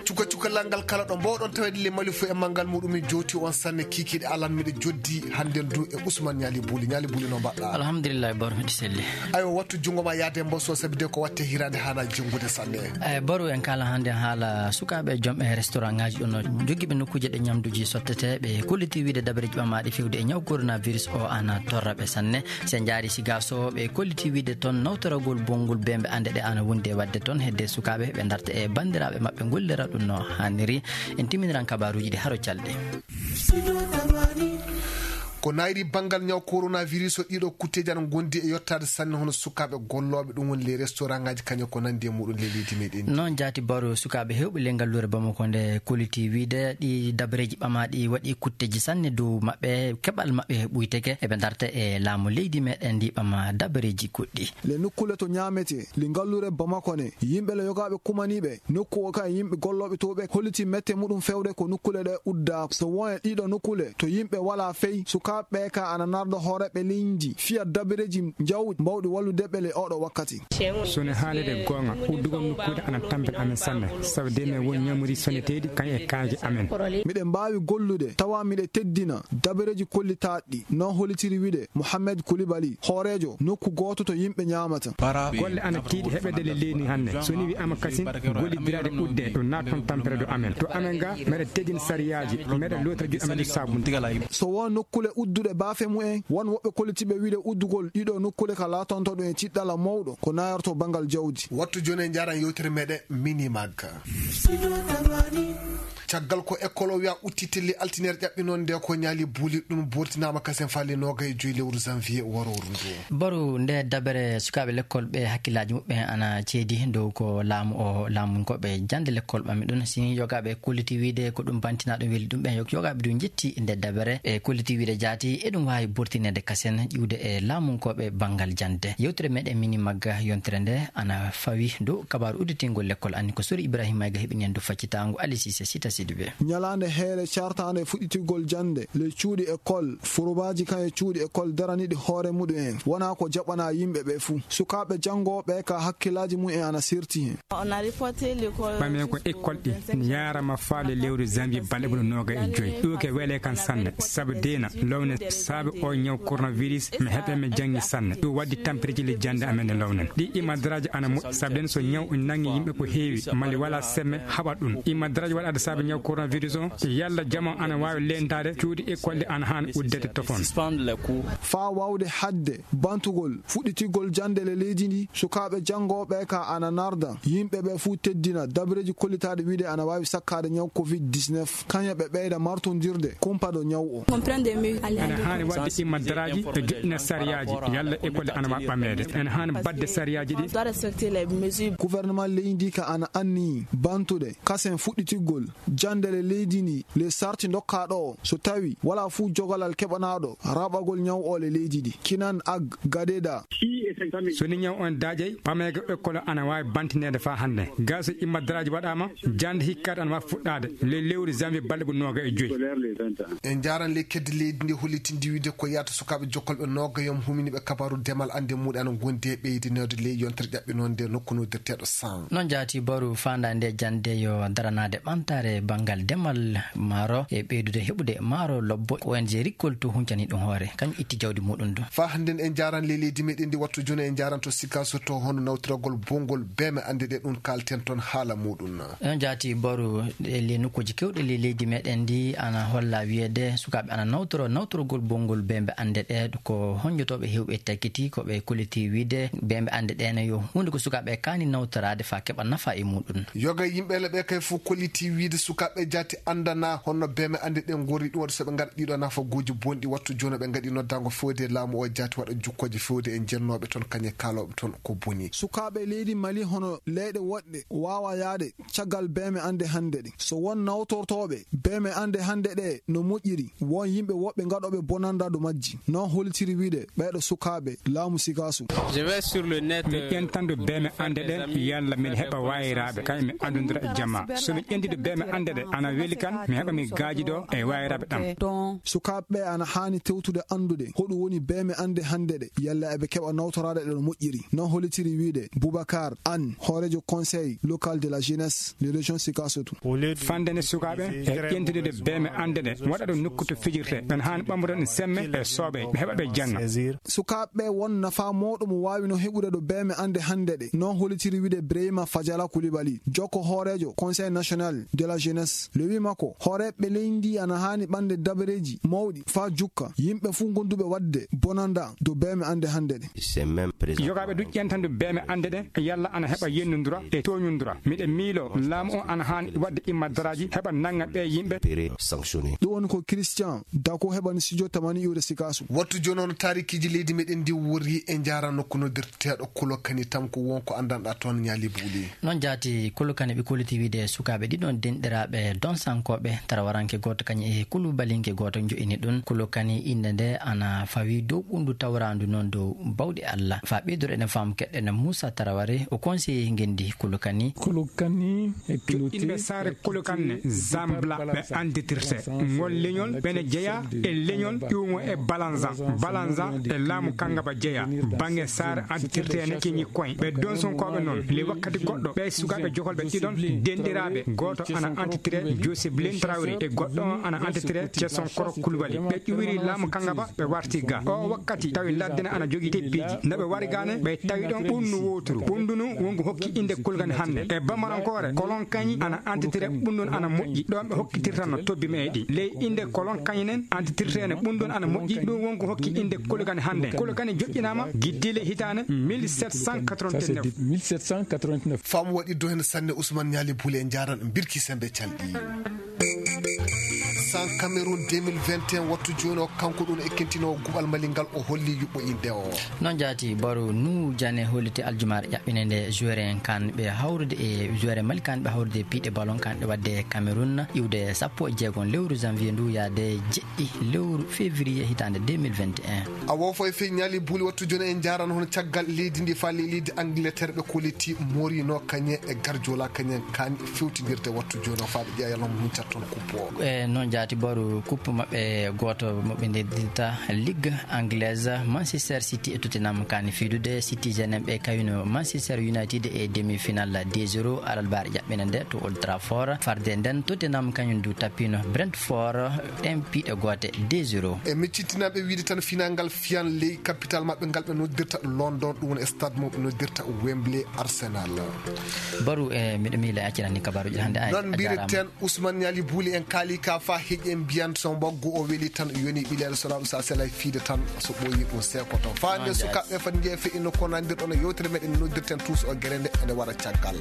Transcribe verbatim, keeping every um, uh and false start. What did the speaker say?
Cuka cukalal ngal kala ɗo mbowɗon tawede le Mali fo e manngal muɗum, min jowti on sanne kikiɗe alan miɗo joddi hannden du e Ousmane Ñaali Buli. Ñaali Buli, no mbaɗɗa? Alhamdulillah, Baro, miɗo selli. Aywa, wattu junngo ma yaade mboso, sabi de ko watte hirande haana jonngude sanne. Ay, Baro, en kala hannde haala sukaaɓe joom e restaurant ngaji ɗo no jogiiɓe nokkuuje ɗe ñamduuji sottete, ɓe kolliti wiide dabareeji ɓamaaɗi fewde e ñaw coronavirus o ana torra ɓe sanne. Se njaari Sigaso, ɓe kolliti wiide toon nawtoragol bonngol bembe annde ɗe ana wondi e waɗde toon hedde sukaaɓe ɓe darta e banndiraaɓe maɓɓe ngollira ɗum no haaniri. En timminiran kabaaruuji ɗi haro calɗi. Ko nayri banngal ñaw coronavirus o, ɗiɗo kutteeji ana ngondi e yottaade sanne, hono sukaaɓe gollooɓe, ɗum woni les restaurant ngaji kañum ko nandi e muɗum le leydi meɗen. Noon jaati Baro, sukaaɓe heewɓe le ngalluure Bamako nde kolliti wiide ɗi dabareeji ɓamaaɗi waɗi kutteeji sanne dow maɓɓe, keɓal maɓɓe ɓuyteke, eɓe darta e laamu leydi meɗen ndi ɓama dabareeji goɗɗi. Le nokkule to ñaamete, le ngalluure Bamako ne, yimɓe le yogaaɓe kumaniiɓe nokku o ka e yimɓe gollooɓe to ɓe holliti mette muɗum fewde ko nokkule ɗe udda. So won e ɗiɗo nokkule to yimɓe wala fey, sukaaɓe ɓe ka ana narda hooreeɓe leydi fiya dabareeji njawɗi mbawɗi wallude ɓe le oɗo wakkati. Sone haalede goonga, uddugol nokkuuje ana tampina amen sanne, sabu de men won ñamri soneteeɗi kan e kaaji amen. Miɗen mbaawi gollude tawa miɗe teddina dabareeji kollitaaɗi, no hollitiri wiide Mohamed Koulibaly, hooreejo nokku gooto to yimɓe ñaamata. Golle ana tiiɗi heɓede le leydi hannde. So ni wi'ama kasin, gollidiraade udde, ɗum naat toon tampere do amen. To amen ga, meɗe teddina sariyaaji, meɗe lootira juuɗe amen e saabunde. So won nokkule udduɗe baafe mumen, won woɓɓe kollitiiɓe wiide uddugol ɗiɗo nokkule ka laatonto ɗum e tiɗɗala mawɗo ko nayorto banngal jawdi. Wattu jooni en njaaran yewtere meɗen Minimag. Caggal ko école o wiya udditi le altine ƴaɓɓinon nde ko Ñaali Buli, ɗum bortinaama kasen faa le noogay e joyi lewru janvier warooru ndu. Baro, nde dabere sukaaɓe lekkol ɓe hakkillaaji muɓɓen ana ceedi dow ko laamu o laamunkooɓe jannde lekkol ɓami ɗum. Si yogaaɓe kolliti wiide ko ɗum bantinaa ɗum weli ɗum ɓen, yogaaɓe du njetti nde dabere e kolliti wiide jaati eɗum waawi bortineede kasen ƴiwde e laamunkooɓe banngal jannde. Yewtere meɗen Minimag yontere nde ana fawi dow kabaaru udditingol lekkol anni ko Sori Ibrahima Mayga heɓini en du faccitaango Ali Sise Sita Sidibé. Ñalaande heere cartaande fuɗɗitigol jannde le cuuɗi école, forobaaji kan e cuuɗi école daraniiɗi hoore muɗum en wona ko jaɓana yimɓe ɓe fuu. Sukaaɓe janngooɓe ka hakkillaaji mumen ana serti hen. Ɓame ko école ɗi ne yaarama faa le lewru janvier balɗe ɓuri nooga e joyi. Ɗum ke wele kan sanne, sabu deena lowne saabe o ñaw coronavirus mi heɓe mi janngi sanne. Ɗum waddi tampereji le jannde amen e lownen. Ɗi imadraji ana moƴƴi, sabu den so ñaw nangi yimɓe ko heewi, mali wala semme haɓa ɗum. Imadraji waɗaade saabe ñaw coronavirus o, yalla jama ana waawi lentaade cuuɗi école ɗi ana haani uddete tofon. Faa waawde hadde bantugol fuɗɗitigol jannde le leydi ndi, sukaaɓe janngooɓe ka ana narda yimɓe ɓe fuu teddina dabareeji kollitaaɗi wiide ana waawi sakkaade ñaw covid dix-neuf, kañe ɓe ɓeyda martondirde kumpado ñaw o. Ene haani waɗde imadraji e joɗɗina sariyaaji, yalla école ana waawi ɓameede. Ene haani baɗde sariyaaji ɗi. Gouvernement leydi ka ana anni bantude kasen fuɗɗitigol jannde le leydi ndi, le sarti ndokkaa ɗo, so tawi wala fuu jogalal keɓanaaɗo raɓagol ñaw o le leydi ndi. Kinan Ag Gadeda. So ni ñaw on daajay, ɓameego école ana waawi bantineede faa hannde. Gaa so imadraji waɗaama, jannde hikkaade ana waawi fuɗɗaade le lewru janvier balɗe ɓuri nooga e joyi. En njaaran le kedde leydi ndi hollitindi wiide ko yaata sukaaɓe jokkolɓe nooga yom humini ɓe kabaaru demal annde muɗe ana ngondi e ɓeydinoode le yontere ƴaɓɓinoonde nokku noddirteeɗo San. Noon jaati Baru faandaande jannde yo daranaade ɓamtaare banngal demal maaro e ɓeydude heɓude maaro lobbo. O N G Rikkol to huncani ɗum hoore, kañum itti jawdi muɗum du. Faa hannden en njaaran le leydi meɗen ndi wattu jooni en njaaran to Sikaso to hono nawtiragol bongol beeme annde ɗe ɗum kaalten toon haala muɗum. Noon jaati Baru e le nokkuuji kewɗe le leydi meɗen ndi ana holla wiyeede sukaaɓe ana nawtoro nawtorogol bongol beembe annde ɗe ko honjotooɓe heewɓe takkiti ko ɓe kolliti wiide beembe annde ɗe ne yo huunde ko sukaaɓe kaani nawtoraade faa keɓa nafa e muɗum. Yoga yimɓe le ɓe kay fof kolliti wiide sukaaɓe jaati anndana honno beembe annde ɗe ngorri ɗum waɗi so ɓe ngara ɗiɗo nafa gooji bonɗi wattu jooni ɓe ngaɗi noddaango fewde laamu o jaati waɗa jukkooje fewde e jennooɓe toon kañe kaalooɓe toon ko boni. Sukaaɓe leydi Mali hono leyɗe woɗɗe waawa yaade caggal beeme annde hannde ɗe. So won nawtortooɓe beeme annde hannde ɗe no moƴƴiri, won yimɓe woɓɓe ngaɗooɓe bonannda ɗo majji. Noon hollitiri wiide ɓeeɗo sukaaɓe laamu Sikasu. Mi ƴentandu beeme annde ɗe yalla mbiɗa heɓa waayiraaɓe, kañum mi anndondira e jamaa. So mi ƴentidu beeme annde Hannde ɗe ana weli kan mi heɓa mi gaaji ɗo e wayraaɓe ɗam. Sukaaɓe ɓe ana haani tewtude anndude hoɗum woni beeme annde hannde ɗe, yalla eɓe keɓa nawtoraade ɗe no moƴƴiri. Non hollitiri wiyde Boubacar Anne, hooreejo Conseil local de la jeunesse de région Sikasotu. Fande nde sukaaɓe e ƴentude beeme annde ɗe, waɗa ɗum nokku to fijirte, ɓen haani ɓamrude ɗum semme e soobee, ɓe heɓa ɓe janna. Sukaaɓe ɓe won nafaa mawɗo mo waawi no heɓude ɗo beeme annde hannde ɗe. Non hollitiri wiyde Brahima Fajala Koulibaly, jokko hooreejo Conseil national de la jeunesse. Le huit makko, hooreeɓe leydi ndi ana haani ɓande dabareeji mawɗi faa jukka yimɓe fuu gonduɓe waɗde bonanda dow beeme annde hannde ɗe. Yogaaɓe du ƴentandu beeme annde ɗe, yalla ana heɓa yennundura e tooñundura. Miɗe miiloo laamu on ana haani waɗde imma daraaji heɓa nannga ɓee yimɓe. Ɗum woni ko Christian Dako heɓani studio tamani iwde Sikasu. Wattu jooni on taarikiiji leydi meɗen ndi wori e njaara nokku noddirteeɗo Kulokani Tanko, won ko anndanɗaa toon Ñaali Buuli. Noon jaati Kulokani ɓe kolliti wiide sukaaɓe ɗiɗon denɗiraaɓe donsankooɓe, tarawaranke gooto kañum e kulubalinke gooto njo'ini ɗum. Kulokani innde nde ana fawi dow ɓunndu tawraandu noon dow bawɗe Allah. Faa ɓeydoro eɗen faamu keɗɗen Muusa Taraware, o conseiller ngenndi Kulokani. Joɗɗinɓe saare Kolokan ne, Zambla, ɓe annditirte. Ngol leñol ɓe ne jeyaa e leñol ƴuumo e Balanza. Balanza e laamu Kangaba jeyaa. Baŋŋe saare annditirte ne kiñi koñ. Ɓe donsonkooɓe noon, le wakkati goɗɗo, ɓe sukaaɓe jokolɓe ɗiɗon denɗiraaɓe. Gooto ana annditire Joseph Lin Traoré e goɗɗo on ana annditire Jason Koro Kulubali. Ɓe ƴuwiri laamu Kangaba, ɓe warti ga. O wakkati tawi ladde ne ana jogii teppiiji. Nde ɓe wari ga ne, ɓe tawi ɗon ɓunndu wooturu. Ɓunndu nu wongu hokki innde Kulgani hannde. E Bamarankoore, Kolon Kañi ana antitire, ɓunndu nu ana moƴƴi. Ɗon ɓe hokkitirta no tobbi meeɗi. Ley innde Kolon Kañi nen antitirteene, ɓunndu nu ana moƴƴi. Ɗum wongu hokki innde Kulgani hannde. Kulgani joƴƴinaama giddiile hitaande mille sept cent quatre-vingt-neuf. Faamu waɗi do heen sanne. Ousmane Ñaali Buule, en njaaran Birki Sembe Calɗi. San Cameroun deux mille vingt et un, wattu jooni o, kanko ɗum ekkintinoowo guɓal Mali ngal, o holli yuɓɓo innde o. Noon jaati, Baro Nu Jane holliti aljumaare ƴaɓɓinde nde joueur en kaan ɓe hawrude e joueur en Mali kaan ɓe hawrude e piiɗe ballon kaan ɓe waɗde e Cameroun iwde sappo e jeegom lewru janvier ndu yaade jeɗɗi lewru février hitaande deux mille vingt et un. A woofo e fii Ñaali Buuli, wattu jooni en njaaran hono caggal leydi ndi faa ley leydi Angleterre ɓe kolliti Mourinho kañum e Guardiola kañum kaani fewtindirde wattu jooni o faa ɓe ƴeewa yalla mo huncata toon coupe o. E noon jaati Baro, coupe maɓɓe gooto mo ɓe noddirta Ligue anglaise, Manchester City e Tottenham kaani fiidude. City jenen ɓe kawino Manchester United e demi-finale deux zéro alarbaare ƴaɓɓinde nde to Old Trafford. Farde nden Tottenham kañum du tappino Brentford ɗen piiɗe goote deux zéro. E miccitinaaɓe wiide tan final ngal fiyan ley capital maɓɓe ngal ɓe noddirta London, ɗum woni stade mo ɓe noddirta Wembley Arsenal. Baro, e miɗo miila accirani kabaruuji hannde. Ay, noon a jaaraama. Mbirten Ousmane Ñaali Buuli, en kaali ka faa heƴi en mbiyan so mbaggu o weli tan yoni ɓilel so laaɗu sa selay fiide tan so ɓooyi ɗum seekoto. Faa nde sukaaɓe fati njeeya feƴƴino ko nandirɗon e yewtere meɗen noddirten tuus o gere nde ene wara caggal.